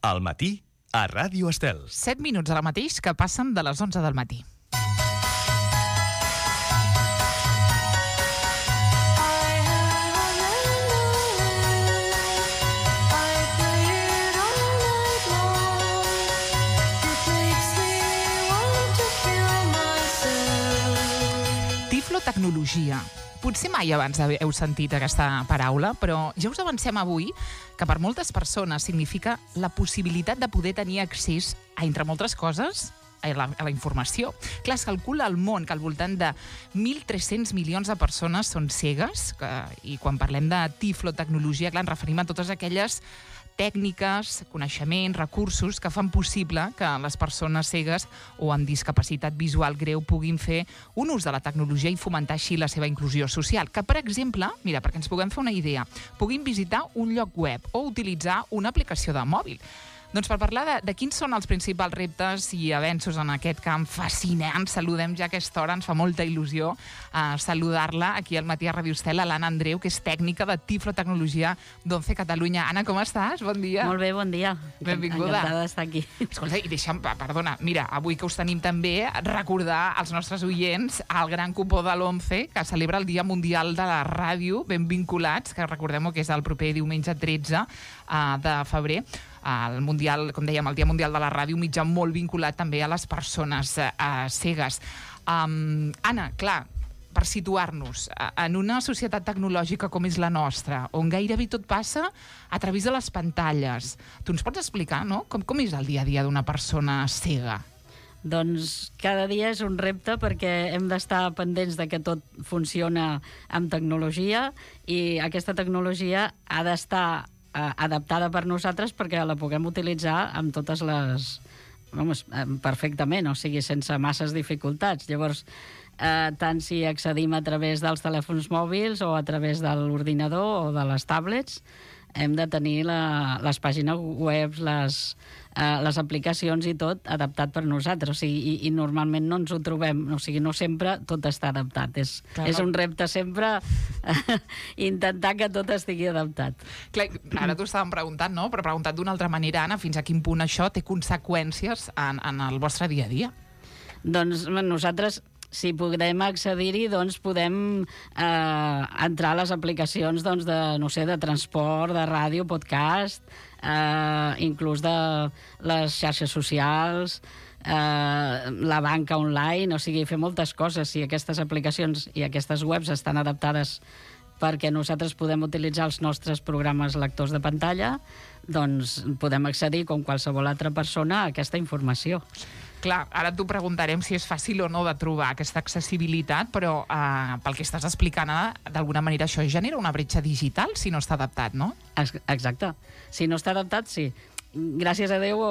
Al matí, a Ràdio Estel. 7 minuts ara mateix que passen de les 11 del matí. Tiflotecnologia. Potser mai abans heu sentit aquesta paraula, però ja us avancem avui que per moltes persones significa la possibilitat de poder tenir accés a, entre moltes coses, a la informació. Clar, es calcula al món que al voltant de 1.300 milions de persones són cegues, i quan parlem de tiflotecnologia, clar, ens referim a totes aquelles tècniques, coneixements, recursos que fan possible que les persones cegues o amb discapacitat visual greu puguin fer un ús de la tecnologia i fomentar així la seva inclusió social. Que, per exemple, mira, perquè ens puguem fer una idea, puguin visitar un lloc web o utilitzar una aplicació de mòbil. Doncs per parlar de quins són els principals reptes i avenços en aquest camp fascinant, saludem ja a aquesta hora, ens fa molta il·lusió saludar-la aquí al matí a Ràdio Estel, l'Anna Andreu, que és tècnica de tiflotecnologia d'Once Catalunya. Anna, com estàs? Bon dia. Molt bé, bon dia. Benvinguda. Encantada d'estar aquí. Escolta, i deixa'm, perdona, mira, avui que us tenim també, recordar als nostres oients el gran cupó de l'Once, que celebra el Dia Mundial de la Ràdio, ben vinculats, que recordem que és el proper diumenge 13 de febrer, el Mundial, com dèiem, el Dia Mundial de la Ràdio, un mitjà molt vinculat també a les persones cegues. Anna, clar, per situar-nos, en una societat tecnològica com és la nostra, on gairebé tot passa a través de les pantalles, tu ens pots explicar, no?, com és el dia a dia d'una persona cega? Doncs cada dia és un repte perquè hem d'estar pendents de que tot funciona amb tecnologia i aquesta tecnologia ha d'estar adaptada per nosaltres perquè la puguem utilitzar amb totes les... perfectament, o sigui, sense masses dificultats. Llavors, tant si accedim a través dels telèfons mòbils o a través de l'ordinador o de les tablets, hem de tenir les pàgines web, les aplicacions i tot adaptat per nosaltres. O sigui, i normalment no ens ho trobem, o sigui, no sempre tot està adaptat. És un repte sempre intentar que tot estigui adaptat. Clar, ara t'ho estàvem preguntant, no? Però preguntat d'una altra manera, Anna, fins a quin punt això té conseqüències en el vostre dia a dia? Doncs nosaltres, si podem accedir-hi, doncs podem entrar a les aplicacions de transport, de ràdio, podcast, inclús de les xarxes socials, la banca online, o sigui, fer moltes coses. Si aquestes aplicacions i aquestes webs estan adaptades perquè nosaltres podem utilitzar els nostres programes lectors de pantalla, doncs podem accedir, com qualsevol altra persona, a aquesta informació. Clar, ara t'ho preguntarem si és fàcil o no de trobar aquesta accessibilitat, però pel que estàs explicant, d'alguna manera això genera una bretxa digital si no està adaptat, no? Exacte. Si no està adaptat, sí. Gràcies a Déu,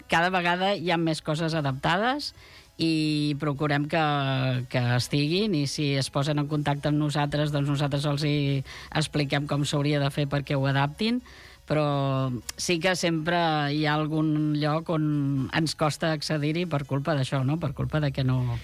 cada vegada hi ha més coses adaptades i procurem que estiguin, i si es posen en contacte amb nosaltres, doncs nosaltres els hi expliquem com s'hauria de fer perquè ho adaptin, però sí que sempre hi ha algun lloc on ens costa accedir-hi per culpa d'això, no? Per culpa de que no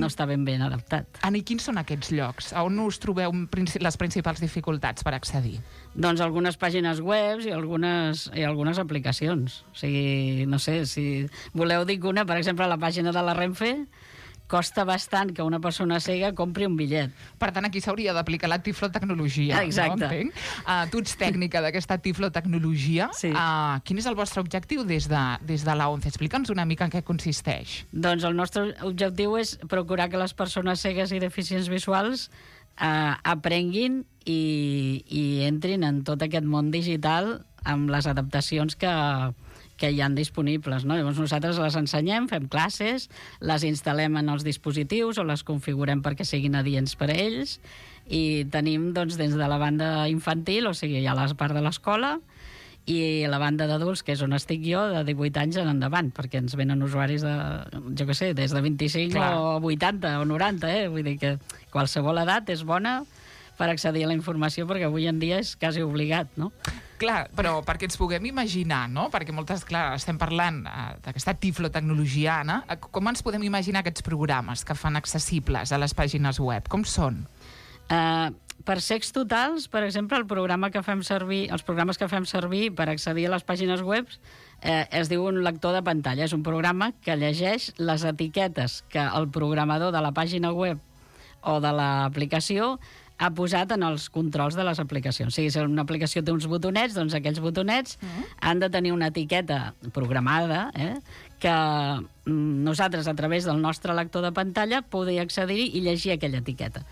està ben adaptat. Anna, i quins són aquests llocs? A on us trobeu les principals dificultats per accedir? Doncs algunes pàgines web i algunes aplicacions. O sigui, no sé, si voleu dir una, per exemple, la pàgina de la Renfe, costa bastant que una persona cega compri un bitllet. Per tant, aquí s'hauria d'aplicar la tiflotecnologia. Exacte. No? Tu ets tècnica d'aquesta tiflotecnologia. Sí. Quin és el vostre objectiu des de la ONCE? Explica'ns una mica en què consisteix. Doncs el nostre objectiu és procurar que les persones cegues i deficients visuals aprenguin i entrin en tot aquest món digital amb les adaptacions que hi han disponibles, no? Llavors nosaltres les ensenyem, fem classes, les instal·lem en els dispositius o les configurem perquè siguin adients per a ells, i tenim doncs, des de la banda infantil, o sigui, hi ha la part de l'escola, i la banda d'adults, que és on estic jo, de 18 anys en endavant, perquè ens venen usuaris de, jo què sé, des de 25 o 80 o 90, Vull dir que qualsevol edat és bona per accedir a la informació, perquè avui en dia és quasi obligat, no? Clar, però perquè ens puguem imaginar, no? Perquè estem parlant d'aquesta tiflotecnologia, Anna. Com ens podem imaginar aquests programes que fan accessibles a les pàgines web? Com són? per secs totals, per exemple, els programes que fem servir per accedir a les pàgines web es diu un lector de pantalla. És un programa que llegeix les etiquetes que el programador de la pàgina web o de l'aplicació ha posat en els controls de les aplicacions. O sigui, si una aplicació té uns botonets, doncs aquells botonets han de tenir una etiqueta programada que nosaltres, a través del nostre lector de pantalla, podem accedir-hi i llegir aquella etiqueta.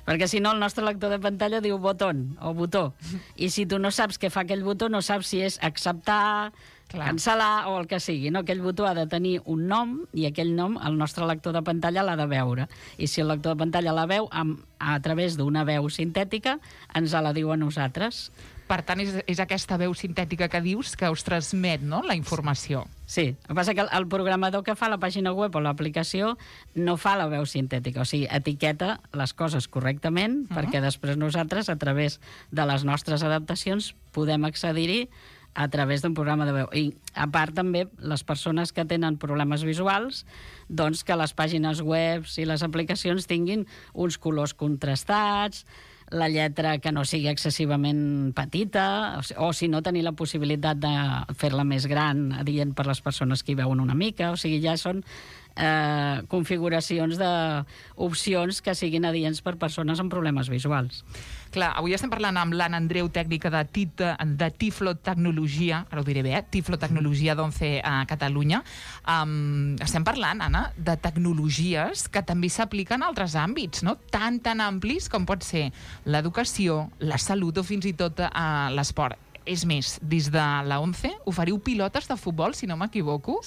Perquè si no, el nostre lector de pantalla diu botón o botó. I si tu no saps què fa aquell botó, no saps si és acceptar, cancel·lar o el que sigui. No? Aquell botó ha de tenir un nom i aquell nom el nostre lector de pantalla l'ha de veure. I si el lector de pantalla la veu, a través d'una veu sintètica, ens la diu a nosaltres. Per tant, és aquesta veu sintètica que dius que us transmet, no?, la informació. Sí, el que passa que el programador que fa la pàgina web o l'aplicació no fa la veu sintètica, o sigui, etiqueta les coses correctament perquè després nosaltres, a través de les nostres adaptacions, podem accedir-hi a través d'un programa de veu. I, a part, també, les persones que tenen problemes visuals, doncs que les pàgines web i les aplicacions tinguin uns colors contrastats, la lletra que no sigui excessivament petita, o si no, tenir la possibilitat de fer-la més gran, adient per les persones que hi veuen una mica. O sigui, ja són configuracions d'opcions que siguin adients per persones amb problemes visuals. Clar, avui estem parlant amb l'Anna Andreu, tècnica de Tiflo Tecnologia, ara ho diré bé, Tiflo Tecnologia d'11 a Catalunya. Estem parlant, Anna, de tecnologies que també s'apliquen a altres àmbits, no? Tan amplis com pot ser l'educació, la salut o fins i tot l'esport. És més, des de la 11 oferiu pilotes de futbol, si no m'equivoco,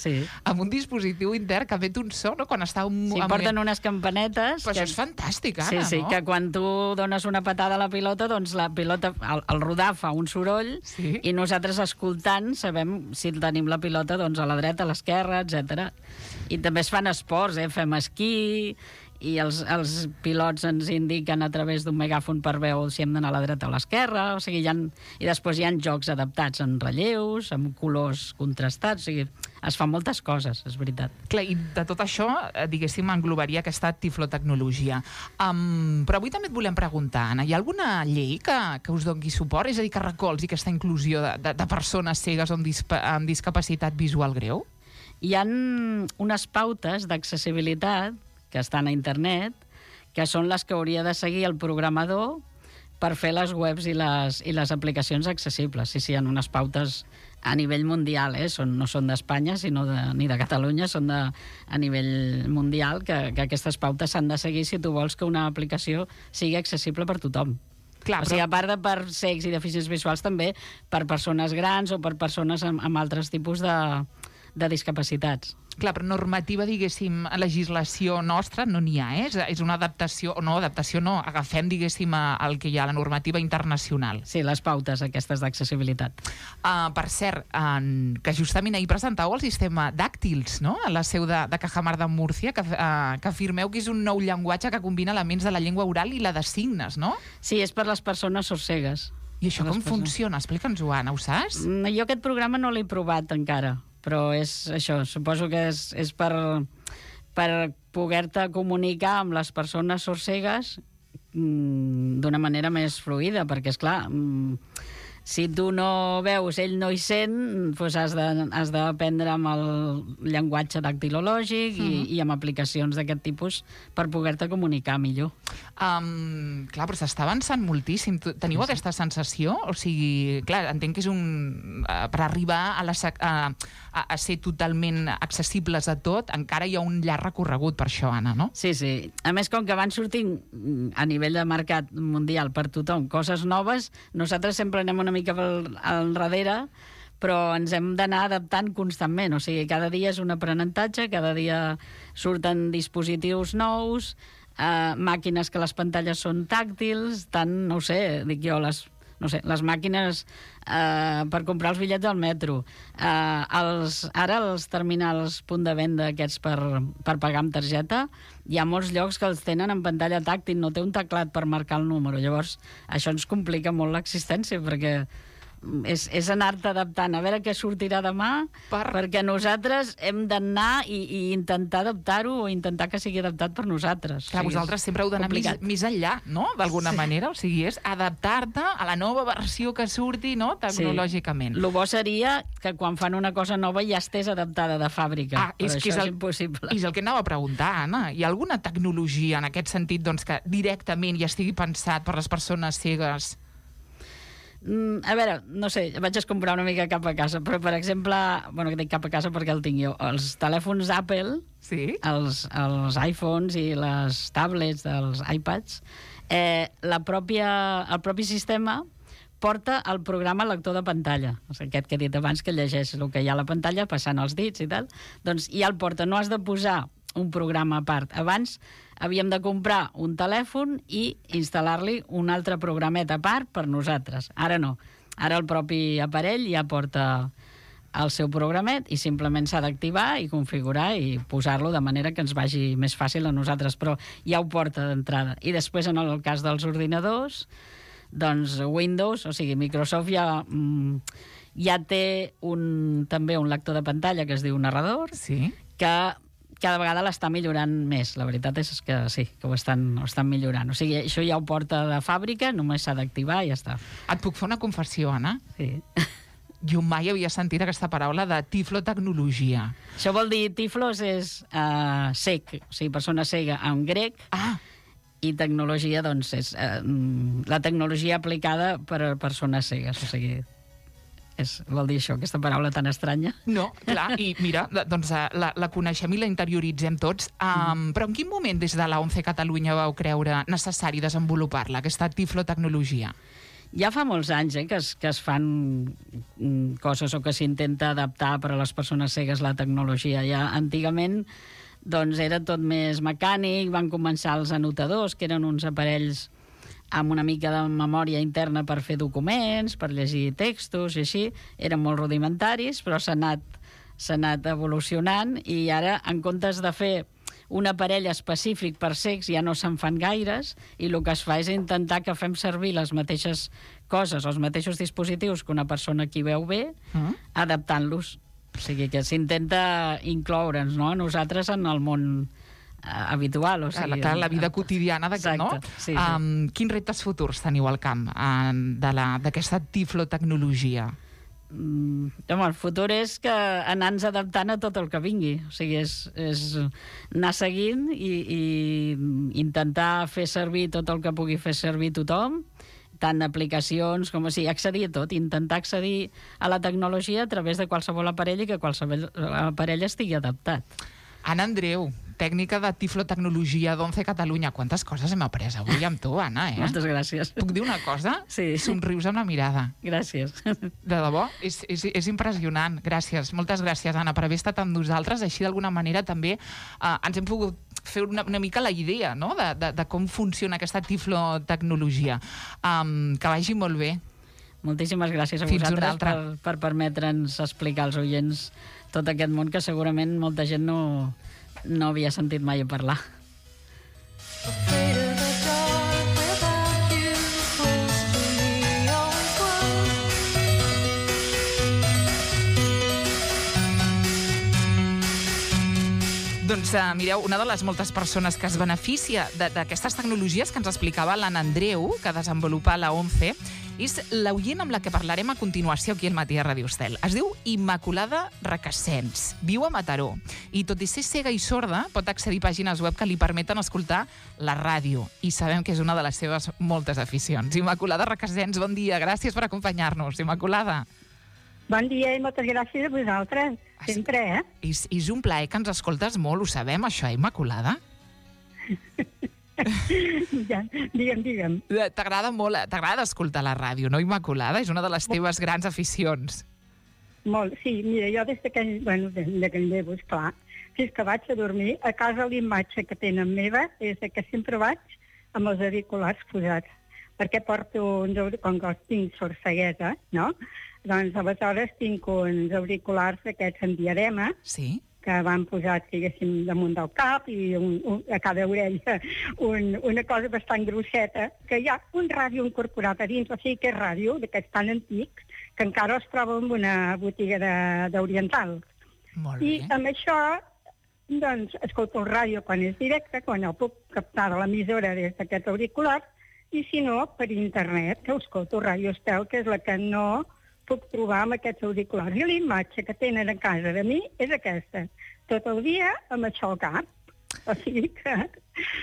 amb un dispositiu intern que emet un so, no?, quan està... Sí, porten unes campanetes... Però això és fantàstic, Anna, no? Sí, que quan tu dones una patada a la pilota, doncs la pilota, al rodar, fa un soroll, i nosaltres, escoltant, sabem si tenim la pilota doncs a la dreta, a l'esquerra, etc. I també es fan esports, fem esquí, i els pilots ens indiquen a través d'un megàfon per veu si hem d'anar a la dreta o a l'esquerra, o sigui, i després hi ha jocs adaptats en relleus, amb colors contrastats, o sigui, es fan moltes coses, és veritat. Clar, i de tot això, diguéssim, englobaria aquesta tiflotecnologia. Però avui també et volem preguntar, Anna, hi ha alguna llei que us doni suport? És a dir, que recolzi aquesta inclusió de persones cegues amb discapacitat visual greu? Hi ha unes pautes d'accessibilitat que estan a internet, que són les que hauria de seguir el programador per fer les webs i les aplicacions accessibles. Sí, hi ha unes pautes a nivell mundial, no són d'Espanya ni de Catalunya, són a nivell mundial, que aquestes pautes s'han de seguir si tu vols que una aplicació sigui accessible per tothom. Clar, o sigui, a part de per cecs i deficients visuals, també per persones grans o per persones amb altres tipus de discapacitats. Clar, però normativa, diguéssim, legislació nostra no n'hi ha, És una adaptació, no, agafem, diguéssim, el que hi ha a la normativa internacional. Sí, les pautes aquestes d'accessibilitat. Per cert, que justament ahir presentàveu el sistema Dàctils, no?, a la seu de Cajamar de Múrcia, que afirmeu que és un nou llenguatge que combina elements de la llengua oral i la de signes, no? Sí, és per les persones sorcegues. I això com funciona? Explica'ns-ho, Anna, ho saps? Jo aquest programa no l'he provat encara, però és això, suposo que és per poder-te comunicar amb les persones sorcegues d'una manera més fluida, perquè, esclar, si tu no veus, ell no hi sent, doncs has d'aprendre amb el llenguatge dactilològic i amb aplicacions d'aquest tipus per poder-te comunicar millor. Clar, però s'està avançant moltíssim. Teniu aquesta sensació? O sigui, clar, entenc que és per arribar a ser totalment accessibles a tot, encara hi ha un llarg recorregut per això, Anna, no? Sí. A més, com que van sortint a nivell de mercat mundial per tothom coses noves, nosaltres sempre anem una mica al darrere, però ens hem d'anar adaptant constantment. O sigui, cada dia és un aprenentatge, cada dia surten dispositius nous, màquines que les pantalles són tàctils, tant, no ho sé, dic jo, les màquines per comprar els bitllets del metro. Ara els terminals punt de venda aquests per pagar amb targeta, hi ha molts llocs que els tenen en pantalla tàctil, no té un teclat per marcar el número. Llavors, això ens complica molt l'existència, perquè és anar-te adaptant, a veure què sortirà demà, perquè nosaltres hem d'anar i intentar adaptar-ho o intentar que sigui adaptat per nosaltres. Clar, vosaltres sempre heu d'anar més enllà, no?, d'alguna manera. O sigui, és adaptar-te a la nova versió que surti, no?, tecnològicament. El bo seria que quan fan una cosa nova ja estés adaptada de fàbrica. És impossible. És el que anava a preguntar, Anna. Hi ha alguna tecnologia en aquest sentit doncs, que directament ja estigui pensat per les persones cegues? A veure, no sé, vaig escombrar una mica cap a casa, però, per exemple, bueno, que dic cap a casa perquè el tinc jo, els telèfons Apple, sí? els iPhones i les tablets dels iPads, el propi sistema porta el programa lector de pantalla, o sigui, aquest que he dit abans, que llegeix el que hi ha a la pantalla, passant els dits i tal, doncs ja el porta, no has de posar un programa a part. Abans havíem de comprar un telèfon i instal·lar-li un altre programet a part per nosaltres. Ara no. Ara el propi aparell ja porta el seu programet i simplement s'ha d'activar i configurar i posar-lo de manera que ens vagi més fàcil a nosaltres, però ja ho porta d'entrada. I després, en el cas dels ordinadors, doncs Windows, o sigui, Microsoft ja té també un lector de pantalla que es diu narrador, sí, que cada vegada l'està millorant més. La veritat és que sí, que ho estan millorant. O sigui, això ja ho porta de fàbrica, només s'ha d'activar i ja està. Et puc fer una confessió, Anna? Sí. Jo mai havia sentit aquesta paraula de tiflotecnologia. Això vol dir, tiflos és cec, o sigui, persona cega en grec, i tecnologia, doncs, és la tecnologia aplicada per a persones cegues, o sigui... vol dir això, aquesta paraula tan estranya? No, clar, i mira, doncs la coneixem i la interioritzem tots, però en quin moment des de la ONCE Catalunya vau creure necessari desenvolupar-la, aquesta tiflotecnologia? Ja fa molts anys que es fan coses o que s'intenta adaptar per a les persones cegues la tecnologia. Ja antigament doncs, era tot més mecànic, van començar els anotadors, que eren uns aparells amb una mica de memòria interna per fer documents, per llegir textos i així. Eren molt rudimentaris, però s'ha anat evolucionant i ara, en comptes de fer un aparell específic per cecs, ja no se'n fan gaires i el que es fa és intentar que fem servir les mateixes coses, els mateixos dispositius que una persona que veu bé, adaptant-los. O sigui que s'intenta incloure'ns, no?, nosaltres en el món habitual, o sigui... La vida quotidiana, no? Sí. Quins reptes futurs teniu al camp d'aquesta tiflotecnologia? Home, el futur és que anar-nos adaptant a tot el que vingui. O sigui, és anar seguint i intentar fer servir tot el que pugui fer servir tothom, tant aplicacions com accedir a tot, intentar accedir a la tecnologia a través de qualsevol aparell i que qualsevol aparell estigui adaptat. Anna Andreu, tècnica de tiflotecnologia d'ONCE Catalunya. Quantes coses hem après avui amb tu, Anna, eh? Moltes gràcies. Puc dir una cosa? Sí. Somrius amb la mirada. Gràcies. De debò, és impressionant. Gràcies, moltes gràcies, Anna, per haver estat amb nosaltres. Així, d'alguna manera, també ens hem pogut fer una mica la idea, no?, de com funciona aquesta tiflotecnologia. Que vagi molt bé. Moltíssimes gràcies a vosaltres per permetre'ns explicar als oients tot aquest món que segurament molta gent no havia sentit mai a parlar. Doncs mireu, una de les moltes persones que es beneficia d'aquestes tecnologies que ens explicava l'Anna Andreu, que desenvolupa la ONCE, és l'oient amb la que parlarem a continuació aquí al Matí a Ràdio Estel. Es diu Immaculada Requesens, viu a Mataró, i tot i ser cega i sorda, pot accedir a pàgines web que li permeten escoltar la ràdio, i sabem que és una de les seves moltes aficions. Immaculada Requesens, bon dia, gràcies per acompanyar-nos. Immaculada. Bon dia i moltes gràcies a vosaltres, sempre, eh? És un plaer que ens escoltes molt, ho sabem, això, Immaculada? Ja, digue'm. T'agrada escoltar la ràdio, no, Immaculada? És una de les teves grans aficions. Molt, sí. Mira, jo des que em llevo, esclar, fins que vaig a dormir, a casa l'imatge que tenen meva és que sempre vaig amb els auriculars posats, perquè porto com que tinc sorceguesa, no? Doncs aleshores tinc uns auriculars d'aquests en diadema, sí, que van posats, diguéssim, damunt del cap i a cada orella una cosa bastant grosseta, que hi ha un ràdio incorporat a dins, o sigui que és ràdio d'aquests tan antics, que encara es troba en una botiga d'oriental. Molt bé. I amb això, doncs, escolto el ràdio quan és directe, quan el puc captar de l'emissora des d'aquest auricular, i si no, per internet, que escolto Ràdio Estel, que és la que no puc trobar amb aquests auriculars. I la imatge que tenen a casa de mi és aquesta. Tot el dia amb això al cap. O sigui que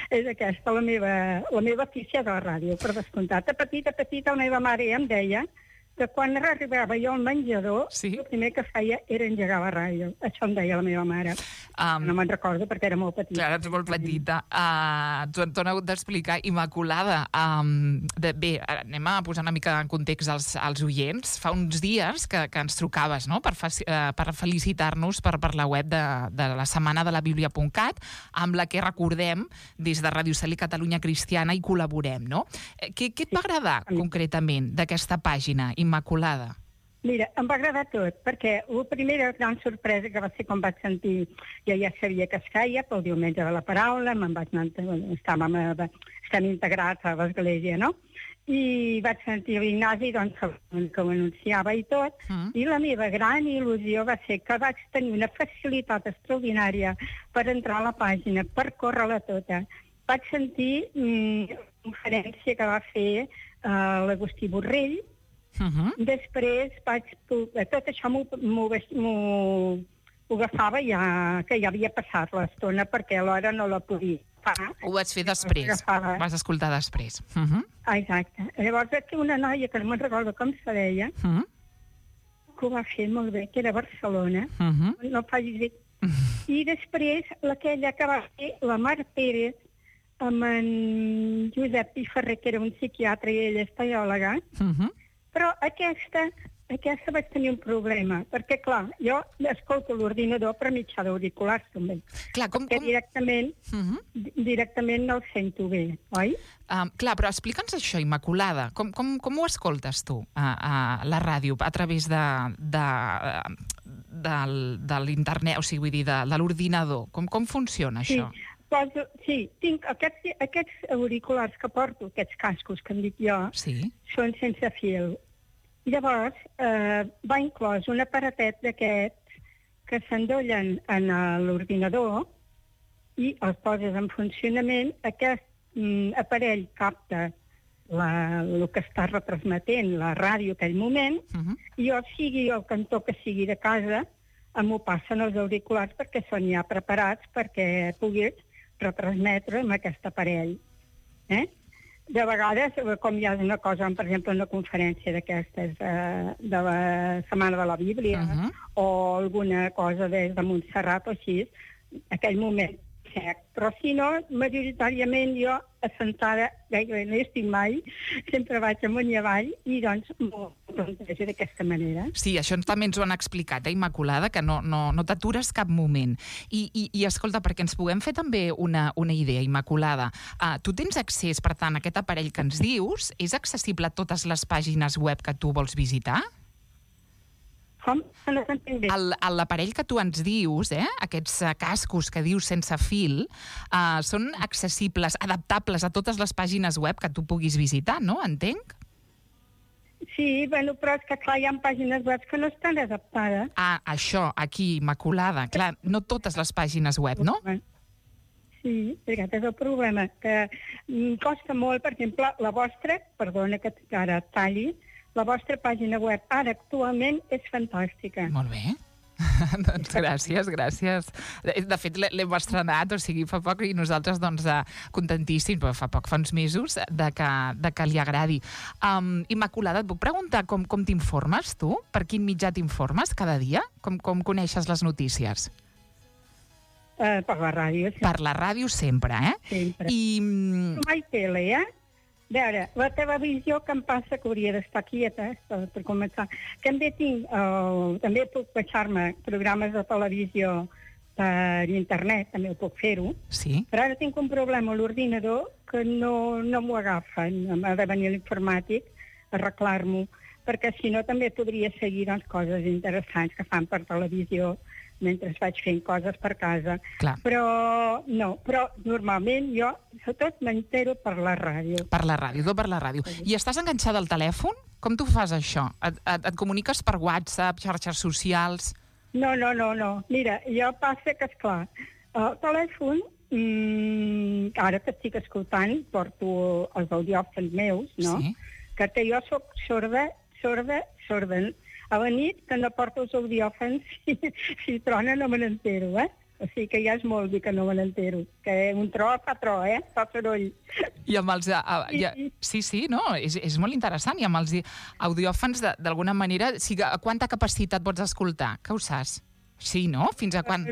és aquesta la meva afició de la ràdio, per descomptat. De petita, la meva mare ja em deia que quan arribava jo al menjador, Sí. el primer que feia era engegar la ràdio. Això em deia la meva mare. No me'n recordo perquè era molt petita. Clar, ets molt petita. T'ho han hagut d'explicar. Immaculada, bé, anem a posar una mica en context als oients. Fa uns dies que ens trucaves, no?, per felicitar-nos per la web de la setmana de la Bíblia.cat, amb la que recordem des de Ràdio Estel i Catalunya Cristiana i col·laborem, no? Què et va agradar concretament d'aquesta pàgina, Immaculada? Mira, em va agradar tot, perquè la primera gran sorpresa que va ser quan vaig sentir, jo ja sabia que es feia pel diumenge de la paraula, me'n vaig anar, estem integrats a l'església, no? I vaig sentir l'Ignasi, doncs, que ho anunciava i tot, i la meva gran il·lusió va ser que vaig tenir una facilitat extraordinària per entrar a la pàgina, per córrer-la tota. Vaig sentir la conferència que va fer l'Agustí Borrell. Després tot això m'ho agafava ja, que ja havia passat l'estona, perquè alhora no la podia fer. Ho vaig fer després, vas escoltar després. Exacte. Llavors aquí una noia, que no me'n recordo com se deia, que ho va fer molt bé, que era a Barcelona, no facis bé. I després aquella que va fer la Mar Pérez, amb en Josep Piferrer, que era un psiquiatre i ella és teòloga. Però aquesta vaig tenir un problema, perquè, clar, jo escolto l'ordinador per mitjà d'auriculars, també. Clar, perquè directament no el sento bé, oi? Clar, però explica'ns això, Immaculada. Com ho escoltes tu, a la ràdio, a través de l'internet, o sigui, vull dir, de l'ordinador? Com funciona això? Sí, tinc aquests auriculars que porto, aquests cascos que em dic jo, són sense fil. Llavors, va inclòs un aparatet d'aquests que s'endollen en l'ordinador i els poses en funcionament. Aquest aparell capta el que està retransmetent la ràdio en aquell moment, i jo, sigui el cantó que sigui de casa, m'ho passen els auriculars perquè són ja preparats perquè pugui retransmetre amb aquest aparell. De vegades, com hi ha una cosa, per exemple, una conferència d'aquestes de la Setmana de la Bíblia, o alguna cosa des de Montserrat o així, aquell moment sec. Però si no, majoritàriament jo, assentada, gairebé no hi estic mai, sempre vaig amunt i avall, i doncs m'ho plantejo d'aquesta manera. Sí, això també ens ho han explicat, Immaculada, que no t'atures cap moment. I escolta, perquè ens puguem fer també una idea, Immaculada, tu tens accés, per tant, a aquest aparell que ens dius, és accessible a totes les pàgines web que tu vols visitar? Com? No s'entén bé. L'aparell que tu ens dius, aquests cascos que dius sense fil, són accessibles, adaptables a totes les pàgines web que tu puguis visitar, no? Entenc? Sí, bueno, però és que clar, hi ha pàgines web que no estan adaptades. Això, aquí, Immaculada. Clar, no totes les pàgines web, no? Sí, aquest és el problema, que costa molt, per exemple, la vostra, perdona que ara talli, la vostra pàgina web ara actualment és fantàstica. Molt bé. Doncs gràcies. De fet, l'hem estrenat, o sigui, fa poc, i nosaltres, doncs, contentíssims, però fa uns mesos, de que li agradi. Immaculada, et puc preguntar com t'informes, tu? Per quin mitjà t'informes cada dia? Com coneixes les notícies? Per la ràdio, sempre. Per la ràdio sempre, Sempre. Mai tele, A veure, la televisió que em passa que hauria d'estar quieta, per començar. També puc baixar-me programes de televisió per internet, també ho puc fer-ho. Sí. Però ara tinc un problema a l'ordinador que no m'ho agafa. M'ha de venir l'informàtic a arreglar-m'ho, perquè si no també podria seguir coses interessants que fan per televisió mentre vaig fent coses per casa. Clar. Però normalment jo sobretot m'entero per la ràdio. Per la ràdio, tot per la ràdio. I estàs enganxada al telèfon? Com tu fas això? Et comuniques per WhatsApp, xarxes socials? No. Mira, jo passa que, esclar, el telèfon, ara que estic escoltant, porto els audiòfons meus, no? Sí. Que jo soc sorda. A la nit, que no porto els audiòfons, si trona no me n'entero, O sigui que ja és molt dir que no me n'entero. Que un tro fa tro, fa soroll. I amb els... Sí, no, és molt interessant. I amb els audiòfons, d'alguna manera, quanta capacitat pots escoltar? Que ho saps? Sí, no? Fins a quan?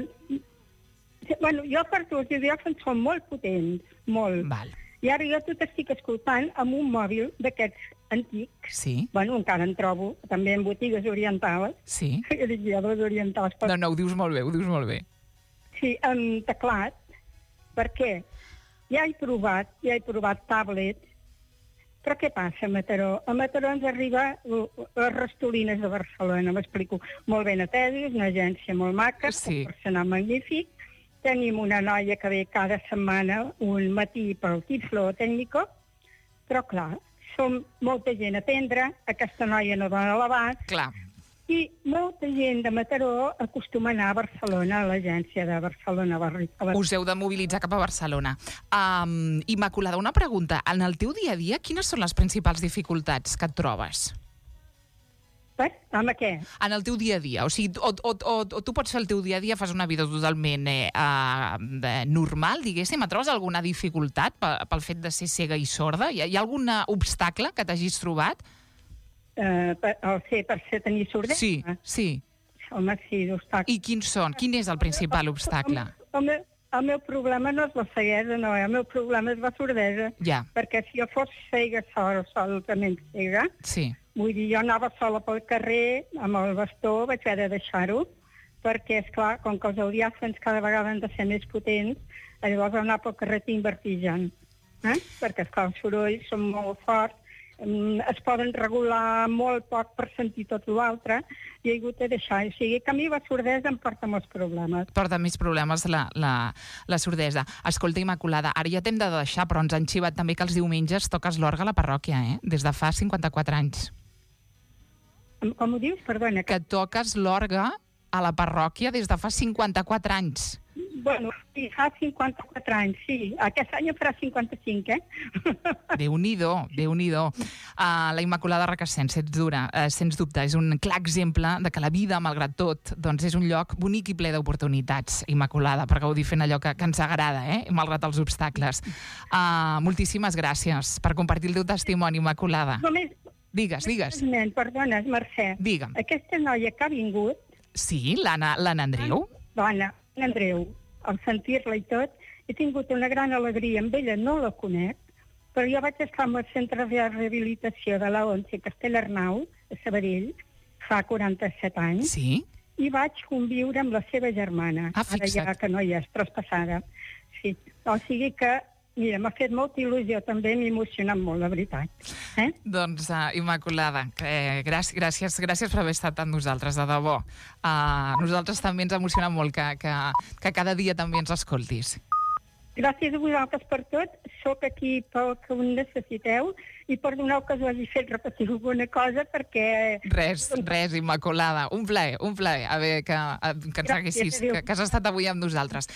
Bueno, jo porto els audiòfons, són molt potents, molt. Val. I ara jo tot estic escoltant amb un mòbil d'aquests antics. Sí. Bueno, encara en trobo, també en botigues orientals. Sí. Jo dic, ja, les orientals. No, ho dius molt bé, Sí, amb teclat, perquè ja he provat tablets, però què passa a Mataró? A Mataró ens arriba les Rastolines de Barcelona, m'explico, molt ben atesos, una agència molt maca, Sí. un personal magnífic, tenim una noia que ve cada setmana un matí pel Tiflo Tècnico, però clar, som molta gent a atendre, aquesta noia no dona l'abast, Clar. i molta gent de Mataró acostuma a anar a Barcelona, a l'agència de Barcelona. Us heu de mobilitzar cap a Barcelona. Immaculada, una pregunta. En el teu dia a dia, quines són les principals dificultats que et trobes? Amb què? En el teu dia a dia. O sigui, o tu pots fer el teu dia a dia, fas una vida totalment normal, diguéssim. Et trobes alguna dificultat pel fet de ser cega i sorda? Hi ha algun obstacle que t'hagis trobat? Per tenir sordesa? Sí. Home, sí, d'obstacles. I quins són? Quin és el principal obstacle? El meu problema no és la ceguesa, no, el meu problema és la sordesa. Ja. Perquè si jo fos cega, solament cega, Sí. vull dir, jo anava sola pel carrer, amb el bastó, vaig haver de deixar-ho, perquè, esclar, com que els audiòfons cada vegada han de ser més potents, llavors anar pel carrer tinc vertigen. Perquè, esclar, els sorolls són molt forts, es poden regular molt poc per sentir tot l'altre, i he hagut de deixar. O sigui, que a mi la sordesa em porta molts problemes. Porta més problemes la sordesa. Escolta, Immaculada, ara ja t'hem de deixar, però ens han xivat també que els diumenges toques l'orgue a la parròquia, des de fa 54 anys. Com ho dius? Perdona. Que toques l'orgue a la parròquia des de fa 54 anys. Bueno, sí, fa 54 anys, sí. Aquest any farà 55, Déu-n'hi-do. La Immaculada Requesens, sens dubte, és un clar exemple de que la vida, malgrat tot, doncs és un lloc bonic i ple d'oportunitats, Immaculada, per gaudir fent allò que ens agrada, malgrat els obstacles. Moltíssimes gràcies per compartir el teu testimoni, Immaculada. Només... Digues. Perdona, Mercè. Digue'm. Aquesta noia que ha vingut... Sí, l'Anna Andreu? L'Anna Andreu, al sentir-la i tot, he tingut una gran alegria. Amb ella no la conec, però jo vaig estar al centre de rehabilitació de la ONCE Castellarnau, a Sabadell, fa 47 anys, Sí. i vaig conviure amb la seva germana. Fixa't. Ara ja que no hi és, traspassada. Sí. O sigui que, mira, m'ha fet molta il·lusió també, m'ha emocionat molt, la veritat. Doncs, Immaculada, gràcies per haver estat amb nosaltres, de debò. Nosaltres també ens emociona molt que cada dia també ens escoltis. Gràcies a vosaltres per tot. Soc aquí pel que ho necessiteu i perdoneu que us hagi fet repetir alguna cosa perquè... Res, Immaculada. Un plaer. A veure, que ens haguessis, que has estat avui amb nosaltres.